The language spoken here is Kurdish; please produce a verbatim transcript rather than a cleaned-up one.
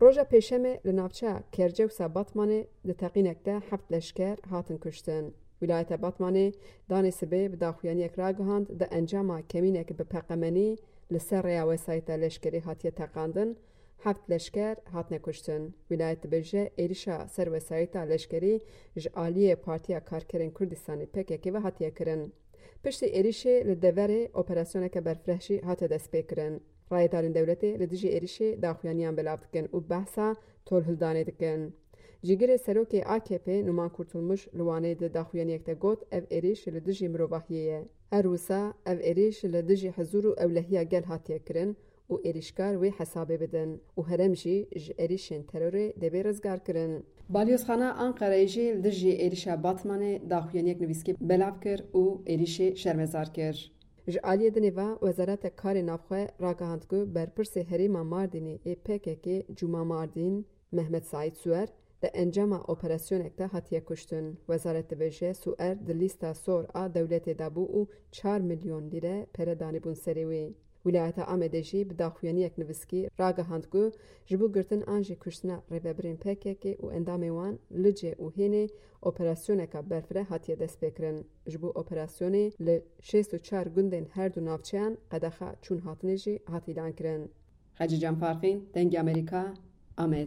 Roja Pêşemê li navçeya Kercewsa Batmanê di teqînek de heft leşker hatin kuştin. Wîlayeta Batmanê danê sibê bi daxuyaniyek ragihand, di encama kemînek bi peqemenî li ser rêya wesayîta leşkerî hatiye teqandin, heft leşker hatine kuştin. Wîlayet dibêje, êrişa ser wesayîta leşkerî ji aliyê Partiya Karkerên Kurdistanê P K K ve hatiye kirin. Piştî êrişê li deverê operasyoneke berfireh jî hate destpêkirin. Rayedarên dewletê li dijî êrişê daxuyaniyan belav dikin û behsa tolhildanê dikin. Cîgirê serokê A K P Numan Kurtulmuş li Wanê di daxuyaniyek de got, ev êrîş li dijî mirovahiyê ye. Her wisa ev êrîş li dijî hizûr û ewlehiya gel hatiye kirin û êrîşkar wê hesabê bidin û herêm jî ji êrîşên terorê dê bê rizgarkirin. Balyozxana Anqereyê jî li dijî êrîşa Batmanê daxuyaniyek nivîskî belav kir û êrîşê şermezar kir. Ji aliyê dinê ve Wezareta Karê Navxwe ragihand ku berpirsê herêma Mardînê ê P K K Cuma Mardîn, Mehmet Saîd Suer, di encama operasyonek de hatiye kuştin. Wezaret dibêje, Suer di lîsta sor a dewletê de bû û çar milyon lîre pere danîbûn serê wî. Wîlayeta Amedê jî bi daxuyaniyek nivîskî ragihand ku ji bo girtin an jî kuştina rêvebirên P K K û endamên wan li Licê û Hênê operasyoneka berfireh hatiye destpêkirin. Ji bo operasyonê li şêst û çar gundên her du navçeyan qedexa çûn hatinê jî hat îlankirin. Hecî Can Farqîn, Dengê Amerîka, Amed.